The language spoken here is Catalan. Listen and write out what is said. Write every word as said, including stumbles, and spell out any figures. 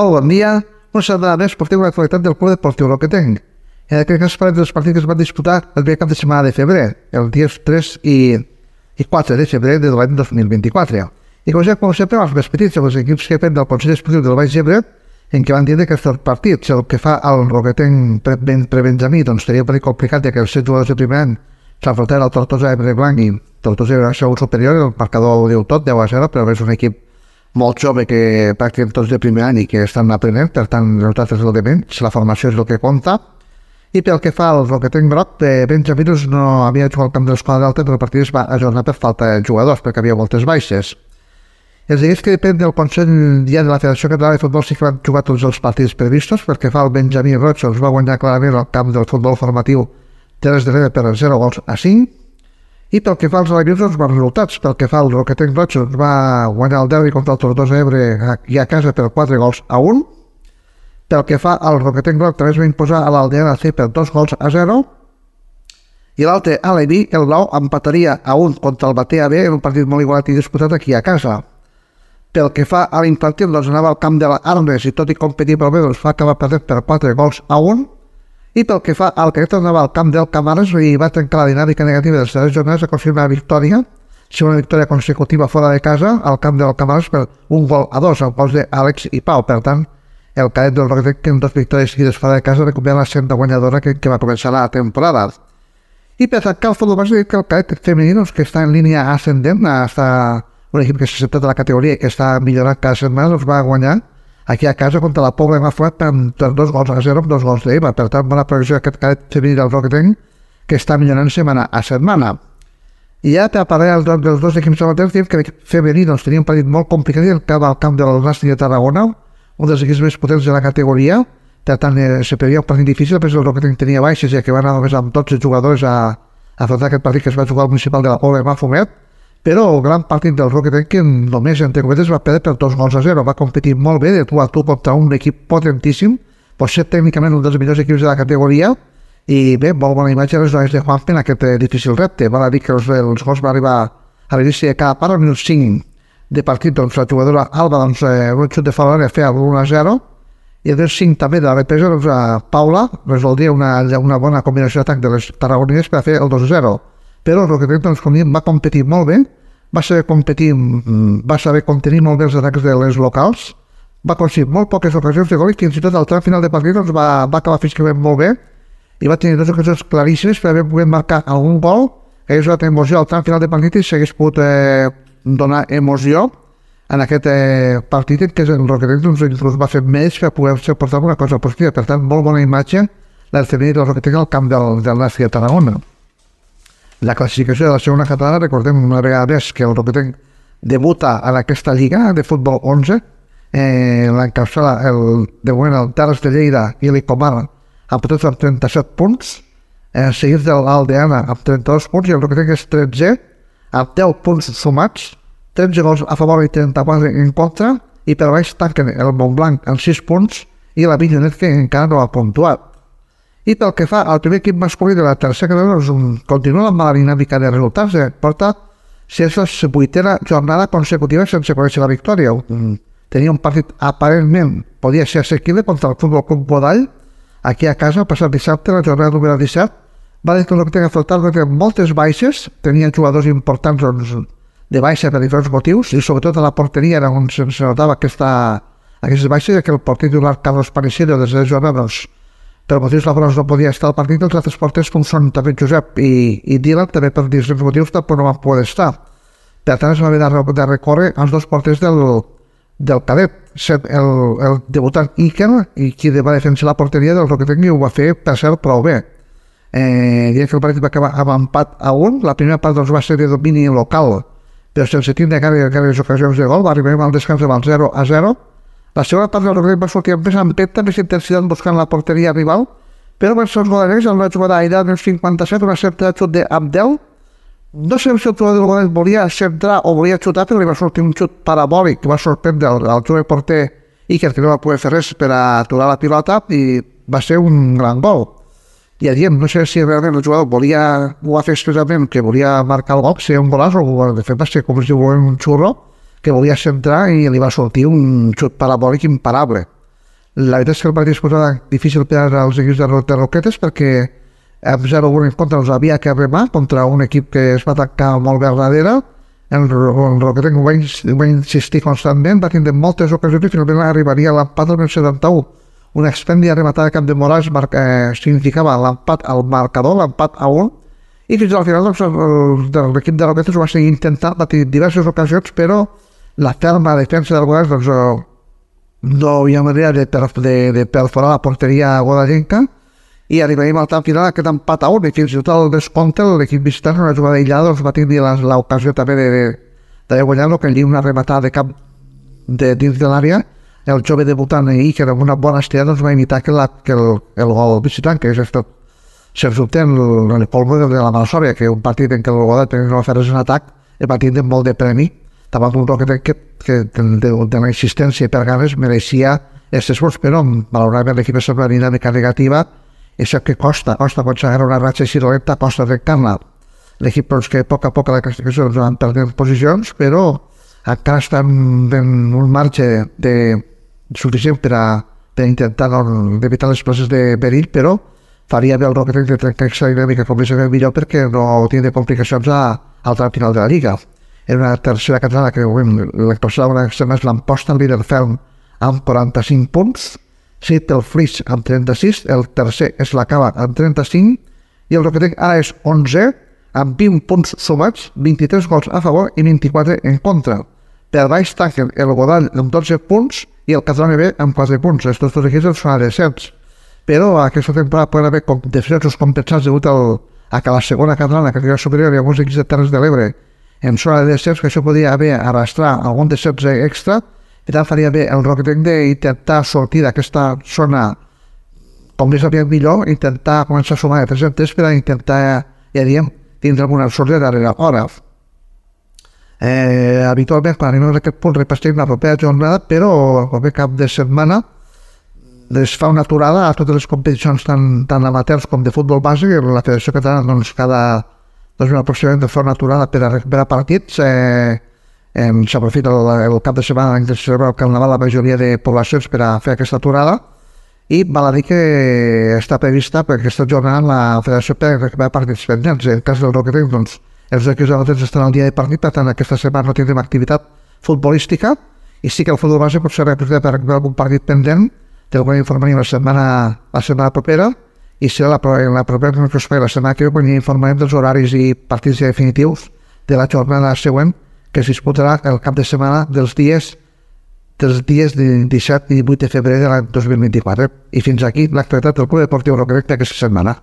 Molt bon dia. Una setmana més portem l'actualitat del Club Deportiu Roquetenc. En aquest cas parlem dels partits que es van disputar el primer cap de setmana de febrer, els dies tres i quatre de febrer de l'any dos mil vint-i-quatre. I com sempre, els més petits, els equips que depèn del Consell Esportiu del Baix Ebre, en què van dir que aquests partits, el que fa al Roquetenc pre-Benjamí, doncs seria un perill complicat, ja que els set jugadors de primer any s'enfrontaven al Tortosa Ebre Blanc i Tortosa Ebre segur superior, el marcador ho diu tot, deu a zero, però és un equip molt jove que practiquen tots de primer any i que estan aprenent, per tant, els resultats és el de menys, la formació és el que compta. I pel que fa al Roquetenc groc, de Benjamí no havia jugat al camp de l'Escola d'Alta, però el partit es va ajornar per falta de jugadors, perquè havia moltes baixes. Els equips que depèn del Consell ja de la Federació Catalana de Futbol sí que van jugar tots els partits previstos, perquè fa el Benjamí Roig els va guanyar clarament al camp del futbol formatiu Terres de l'Ebre per zero gols a cinc. I pel que fa als alegrins, doncs, bons resultats. Pel que fa al Roquetenc Roig, doncs, va guanyar el derbi contra el Tortosa Ebre i a casa per quatre gols a un. Pel que fa al Roquetenc Groc, també es va imposar a l'Aldeana C per dos gols a zero. I l'altre, Aleví, el Blau, empataria a un contra el Batea B en un partit molt igualat i disputat aquí a casa. Pel que fa a l'infantil, doncs anava al camp de l'Armes i tot i competir pel bé, doncs va acabar perdent per quatre gols a un. I pel que fa al Canet, anava al camp del Camares i va trencar la dinàmica negativa de les tres jornades, aconseguir una victòria, segona victòria consecutiva fora de casa, al camp del Camares per un gol a dos, amb gols d'Àlex i Pau. Per tant, el Canet del Roquetenc, en dues victòries seguides fora de casa, recupera la senda guanyadora que, que va començar la temporada. I per tancar el futbol base, dit que el Canet femení, que està en línia ascendent, està un equip que s'ha acceptat a la categoria i que està millorant cada setmana, doncs va guanyar aquí a casa contra la Pobla de Mafuat per dos gols a zero amb dos gols d'Eva. Per tant, bona progressió d'aquest Canet femení del Roquetenc, que està millorant setmana a setmana. I ja per parlar dels dos equips amateurs, diem que l'equip femení doncs, tenia un partit molt complicat i el camp al camp del Nàstic de Tarragona, un dels equips més potents de la categoria. Per tant, eh, se previa un partit difícil, però el Roquetenc tenia baixes, ja que van anar només amb dotze jugadors a afrontar aquest partit que es va jugar al municipal de la Pobla de Mafumet. Però el gran partit del Roquetenc, que només, entre cometes, va perdre per dos gols a zero. Va competir molt bé de tu a tu contra un equip potentíssim, pot ser tècnicament un dels millors equips de la categoria, i bé, molt bona imatge les dones de Juanfe en aquest difícil repte. Val a dir que els, els gols van arribar a l'inici de cada part, al minut cinc de partit, doncs la jugadora Alba, doncs, eh, un xut de fora feia l'un a zero, i el minut cinc també de la represa, doncs, a Paula resoldria una, una bona combinació d'atac de les tarragonines per a fer el dos a zero. Però el Roquetenc, doncs, com diem, va competir molt bé, va saber competir, va saber contenir molt bé els atacs de les locals, va aconseguir molt poques ocasions de gol i fins i tot al tram final de partit doncs, va, va acabar físicament molt bé i va tenir dues ocasions claríssimes per haver pogut marcar algun gol, que hagués donat emoció al tram final de partit i s'hagués pogut eh, donar emoció en aquest eh, partit en què el Roquetenc doncs, inclús va fer més per poder-se portar una cosa positiva. Per tant, molt bona imatge del femení del Roquetenc al camp del, del Nàstic de Tarragona. La classificació de la segona catalana, recordem una vegada més que el Roquetenc debuta en aquesta lliga de futbol onze, eh, l'encapçala el, de moment el Terres de Lleida i l'Icomar amb tots amb trenta-set punts, eh, seguits de l'Aldeana amb trenta-dos punts i el Roquetenc és tretze amb deu punts sumats, tretze gols a favor i trenta-quatre en contra, i per baix tanquen el Montblanc amb sis punts i la Vinyonet que encara no ha puntuat. I pel que fa al primer equip masculí de la tercera categoria, doncs, continua la mala dinàmica de resultats. Eh? Porta la vuitena jornada consecutiva sense conèixer la victòria. Tenia un partit aparentment, podia ser assequible contra el Futbol Club Godall, aquí a casa, el passat dissabte, la jornada número disset. Va dir que el Roquetenc afrontar moltes baixes, tenia jugadors importants doncs, de baixa per diferents motius, i sobretot a la porteria era on se notava aquesta, aquestes baixes, ja que el porter titular Carlos Panicero des de jornada, doncs, per motius laborals no podia estar al partit, els altres porters com són també Josep i, i Dylan, també per diferents motius tampoc no van poder estar. Per tant, es va haver de, de recórrer als dos porters del, del cadet, el, el debutant Iker, i qui va defensar la porteria del Roquetenc i ho va fer, per cert, prou bé. Eh, diria que el partit va acabar amb empat a un, la primera part doncs, va ser de domini local, però sense tindre gaires ocasions de gol, va arribar al descans amb el zero a zero. La segona part del Roquetenc va sortir amb més empenta, més intensitat buscant la porteria rival, però per els goleros, en la jugada aïllada del cinquanta-set, una certa xut d'Abdel. No sé si el jugador del Golet volia centrar o volia xutar, però li va sortir un xut parabòlic que va sorprendre el, el jove porter Iker, que no va poder fer res per aturar la pilota, i va ser un gran gol. Ja diem, no sé si realment el jugador volia, ho va fer expressament, que volia marcar el gol, ser un golaç, o de fet va ser com si diu un xurro, que volia centrar i li va sortir un xut parabòlic imparable. La veritat és que el partit es posava difícil per als equips de, de Roquetes perquè amb zero un en contra els havia que remar contra un equip que es va tancar molt bé al darrere. El, el Roquetes va, va insistir constantment, va tindre moltes ocasions i finalment arribaria a l'empat del setanta-u. Una extèndia rematada cap de Morals eh, significava l'empat al marcador, l'empat a un, i fins al final doncs, l'equip de Roquetes ho va seguir intentant, va tenir diverses ocasions, però la ferma defensa del Godall doncs, no hi ha manera de, de, de perforar la porteria godellenca i arribaríem al tant final aquest empat a un i fins i tot al descompte l'equip visitant en una jugada aïllada doncs, va tenir l'ocasió també de, de, de guanyar-lo, que allí una rematada de cap de dins de l'àrea, el jove debutant ahir, que era una bona estirada, doncs va imitar que, la, que el, el gol visitant, que és estat, sens dubte, el, el polvo de la mala sòria, que un partit en què el Godall tenia no fer-se en atac el va tindre molt de premi, davant d'un Roquet que, que de, de, de la insistència i per ganes mereixia aquest esforç, però malauradament l'equip és una dinàmica negativa, i sap que costa, costa quan s'agarra una ratxa així dolenta, costa trencar-la. L'equip doncs, que a poc a poc a la classificació doncs, van perdent posicions, però encara estan en un marge de, suficient per a, per a intentar doncs, evitar les places de perill, però faria bé el Roquet de trencar aquesta dinàmica com més millor perquè no tindre complicacions a, al tram final de la Lliga. Era una tercera catalana que l'actuació d'una setmana l'emposta al líder ferm amb quaranta-cinc punts, set el Flix amb trenta-sis, el tercer és la Cava amb trenta-cinc i el Roquetenc ara és onze amb vint punts sumats, vint-i-tres gols a favor i vint-i-quatre en contra. Per baix tanquen el Godall amb dotze punts i el Catalana B amb quatre punts. Estos dos equips són a descens. Però aquesta temporada poden haver descensos compensats degut al, a que la segona catalana, que era superior, i alguns equips de Terres de l'Ebre en zona de descens, que això podia haver arrastrar algun descens extra, i tant faria bé el Roquetenc d'intentar sortir d'aquesta zona com més aviat millor, intentar començar a sumar de tres cents per a intentar, ja diem, tindre alguna sort de darrere hora. Eh, habitualment, quan anem a aquest punt, repassem la propera jornada, però el proper cap de setmana es fa una aturada a totes les competicions tant, tant amateurs com de futbol base, i la Federació Catalana doncs, cada doncs, aproximadament de fer una aturada per a recuperar partits. Eh, eh, S'aprofita el, el cap de setmana en què se celebra el Carnaval la majoria de poblacions per a fer aquesta aturada, i val a dir que està prevista per aquesta jornada la Federació per recuperar partits pendents. En el cas del Roquetenc, doncs, els equips amateurs estan al dia de partit, per tant aquesta setmana no tindrem activitat futbolística, i sí que el futbol base pot ser recuperat per recuperar algun partit pendent. Del qual informarem la setmana, la setmana propera, i serà la, la propera que us faré la setmana que ve quan informarem dels horaris i partits definitius de la jornada següent que es disputarà el cap de setmana dels dies dels dies de disset i divuit de febrer de l'any dos mil vint-i-quatre. I fins aquí l'actualitat del Club Deportiu Roquetenc d'aquesta setmana.